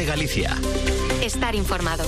COPE Galicia. Estar informado.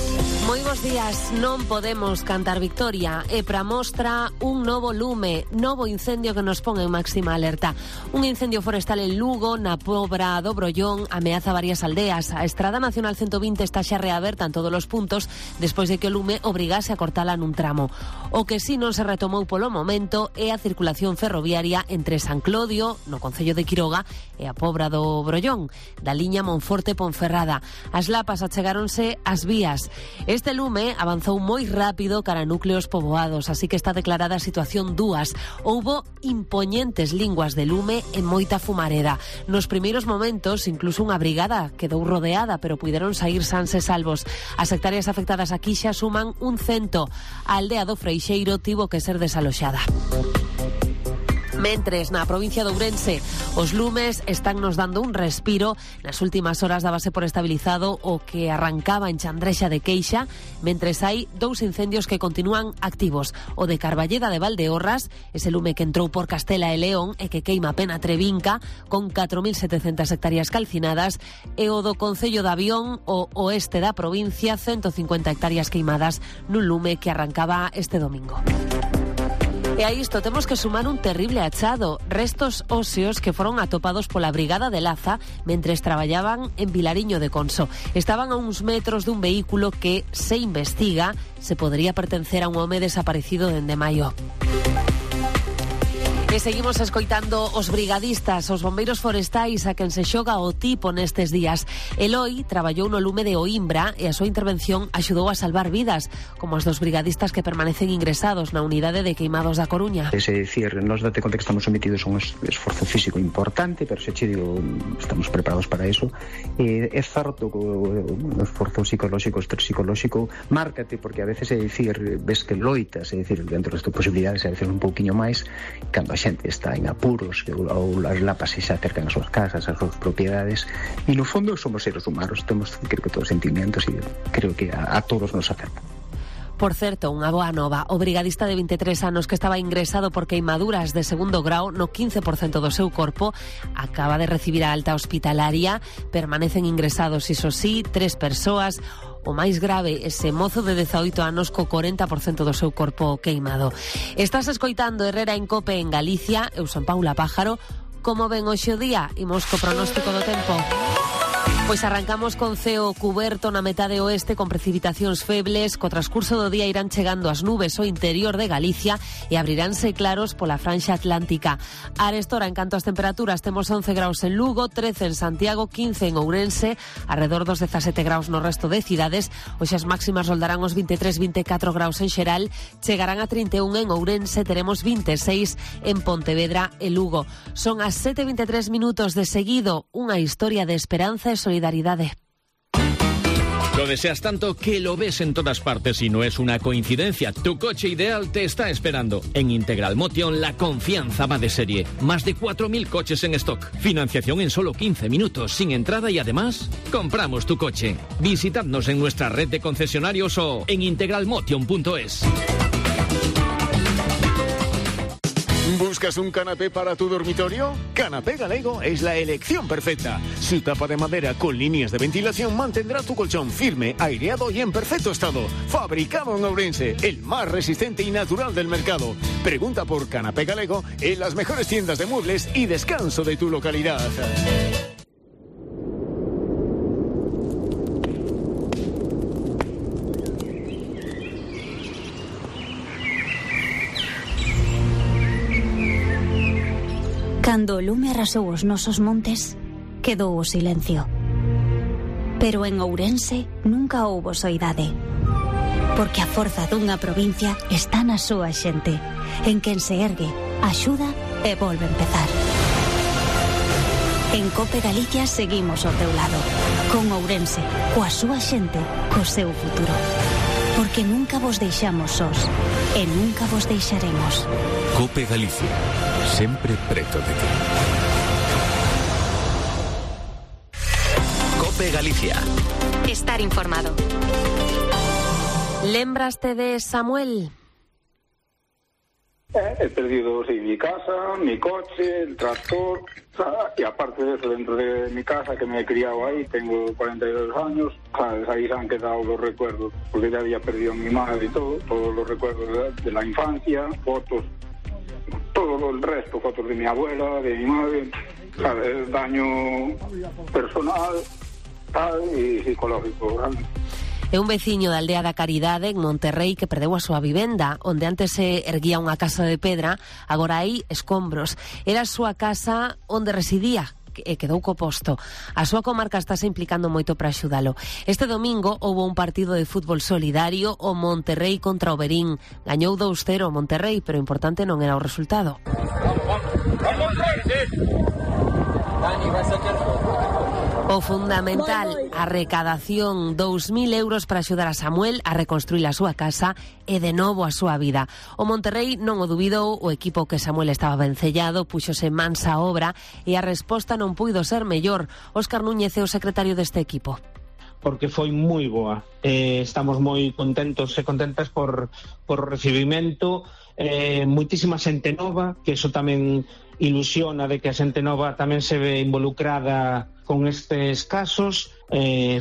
Moi bons días, non podemos cantar victoria e para mostra un novo lume, novo incendio que nos pon en máxima alerta. Un incendio forestal en Lugo, na Pobra do Brollón, ameaza varias aldeas. A Estrada Nacional 120 está xa reaberta en todos os puntos despois de que o lume obrigase a cortala nun tramo. O que si non se retomou polo momento é a circulación ferroviaria entre San Clodio, no concello de Quiroga, e a Pobra do Brollón, da liña Monforte-Ponferrada. As lapas achegáronse ás vías. Este lume avanzou moi rápido cara a núcleos poboados, así que está declarada a situación dúas. Houbo impoñentes linguas de lume e moita fumareda. Nos primeiros momentos, incluso unha brigada quedou rodeada, pero puideron saír sans e salvos. As hectáreas afectadas aquí xa suman 100. A aldea do Freixeiro tivo que ser desaloxada. Mentres, na provincia de Ourense, os lumes están nos dando un respiro. Nas últimas horas dábase por estabilizado o que arrancaba en Chandrexa de Queixa, mentres hai dous incendios que continúan activos. O de Carballeda de Valdeorras, ese lume que entrou por Castela e León e que queima Pena Trevinca, con 4.700 hectáreas calcinadas, e o do Concello de Avión, o oeste da provincia, 150 hectáreas queimadas nun lume que arrancaba este domingo. E a isto temos que sumar un terrible achado, restos óseos que foron atopados pola Brigada de Laza mentres traballaban en Vilariño de Conso. Estaban a uns metros dun vehículo que se investiga se podería pertencer a un home desaparecido dende maio. E seguimos escoitando os brigadistas, os bombeiros forestais a quen se xoga o tipo nestes días. Eloi traballou no lume de Oimbra e a súa intervención axudou a salvar vidas, como os dos brigadistas que permanecen ingresados na unidade de queimados da Coruña. Es decir, nos date conta que estamos sometidos a un esforzo físico importante, pero se che digo, estamos preparados para eso. É certo que o esforzo psicolóxico, estrés psicolóxico, márcate, porque a veces é dicir, ves que loitas, é dicir, dentro das tuas posibilidades, a veces un pouquiño máis, cando a xente está en apuros ou as lapas se acercan ás súas casas, ás súas propiedades, e no fondo somos seres humanos, temos, creo que todos sentimientos, e creo que a todos nos afecta. Por certo, unha boa nova. O brigadista de 23 anos que estaba ingresado por queimaduras de segundo grau no 15% do seu corpo acaba de recibir a alta hospitalaria. Permanecen ingresados, iso sí, 3 persoas. O máis grave, ese mozo de 18 anos co 40% do seu corpo queimado. Estás escoitando Herrera en Cope en Galicia. Eu son Paula Pájaro. Como ven hoxe o día? Imos co pronóstico do tempo. Pois arrancamos con ceo cuberto na metade oeste con precipitacións febles. Co transcurso do día irán chegando as nubes ao interior de Galicia e abriránse claros pola franxa atlántica. Arestora, en canto ás temperaturas, temos 11 graus en Lugo, 13 en Santiago, 15 en Ourense, alrededor dos 17 graus no resto de cidades. Hoxe as máximas roldarán os 23-24 graus en xeral, chegarán a 31 en Ourense, teremos 26 en Pontevedra e Lugo. Son as 7:23 minutos de seguido, unha historia de esperanza e solidaridade. Lo deseas tanto que lo ves en todas partes y no es una coincidencia. Tu coche ideal te está esperando. En Integral Motion la confianza va de serie. Más de 4.000 coches en stock. Financiación en solo 15 minutos sin entrada y además compramos tu coche. Visitadnos en nuestra red de concesionarios o en integralmotion.es. ¿Buscas un canapé para tu dormitorio? Canapé Galego es la elección perfecta. Su tapa de madera con líneas de ventilación mantendrá tu colchón firme, aireado y en perfecto estado. Fabricado en Ourense, el más resistente y natural del mercado. Pregunta por Canapé Galego en las mejores tiendas de muebles y descanso de tu localidad. Cando o lume arrasou os nosos montes, quedou o silencio. Pero en Ourense nunca houbo soidade. Porque a forza dunha provincia está na súa xente, en quen se ergue, axuda e volve a empezar. En Cope Galicia seguimos ao teu lado, con Ourense, coa súa xente, co seu futuro. Porque nunca vos deixamos sós e nunca vos deixaremos. Cope Galicia, sempre preto de ti. Cope Galicia. Estar informado. Lembraste de Samuel? He perdido, sí, mi casa, mi coche, el tractor, y aparte de eso, dentro de mi casa, que me he criado ahí, tengo 42 años, ¿sabes? Ahí se han quedado los recuerdos, porque ya había perdido a mi madre y todo, todos los recuerdos de la infancia, fotos, todo el resto, fotos de mi abuela, de mi madre, ¿sabes? Daño personal, tal, y psicológico, ¿sabes? É un veciño da aldea da Caridade en Monterrey que perdeu a súa vivenda, onde antes se erguía unha casa de pedra, agora hai escombros. Era a súa casa onde residía e quedou co posto. A súa comarca estáse implicando moito para axudalo. Este domingo houve un partido de fútbol solidario, o Monterrey contra o Verín. Gañou 2-0 o Monterrey, pero importante non era o resultado. O fundamental, a recadación, 2.000 euros para axudar a Samuel a reconstruir a súa casa e de novo a súa vida. O Monterrey non o dubidou, o equipo que Samuel estaba vencellado, puxose mansa a obra e a resposta non puido ser mellor. Óscar Núñez é o secretario deste equipo. Porque foi moi boa. Estamos moi contentos e contentas por o recibimento. Moitísima xente nova, que eso tamén ilusiona de que a xente nova tamén se ve involucrada con estes casos.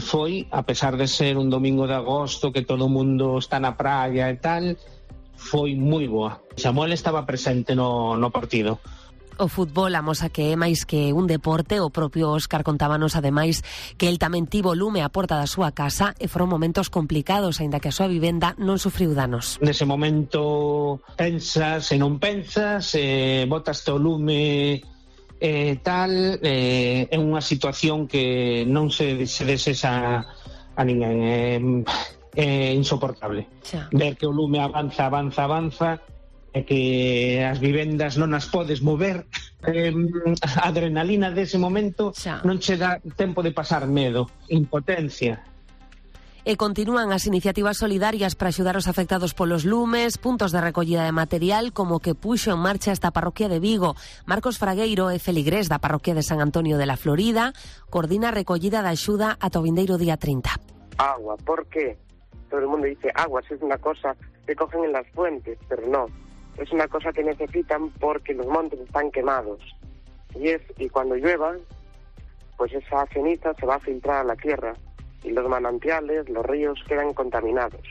Foi, a pesar de ser un domingo de agosto que todo o mundo está na praia e tal, foi moi boa. Samuel estaba presente no partido. O fútbol amosa que é máis que un deporte. O propio Óscar contábanos ademais que el tamén tivo lume á porta da súa casa e foron momentos complicados, aínda que a súa vivenda non sufriu danos. Nese momento pensas e non pensas, botaste o lume tal, é unha situación que non se desexa a ninguén, é insoportable. Xa. Ver que o lume avanza e que as vivendas non as podes mover, a adrenalina dese momento xa. Non che dá tempo de pasar medo, impotencia. E continúan as iniciativas solidarias para axudar os afectados polos lumes, puntos de recollida de material como que puxo en marcha esta parroquia de Vigo. Marcos Fragueiro é feligrés da parroquia de San Antonio de la Florida, coordina a recollida da axuda ata o vindeiro día 30. Agua, ¿por qué? Todo el mundo dice agua, es una cosa que cogen en las fuentes, pero no. Es una cosa que necesitan porque los montes están quemados. Y cuando llueva, pues esa ceniza se va a filtrar a la tierra y los manantiales, los ríos quedan contaminados.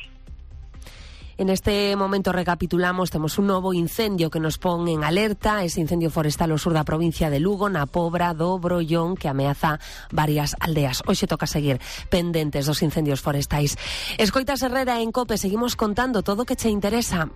En este momento recapitulamos, temos un novo incendio que nos pon en alerta, ese incendio forestal ao sur da provincia de Lugo, na Pobra do Brollón, que ameaza varias aldeas. Hoxe toca seguir pendentes dos incendios forestais. Escoitas Herrera en COPE, seguimos contando todo o que che interesa.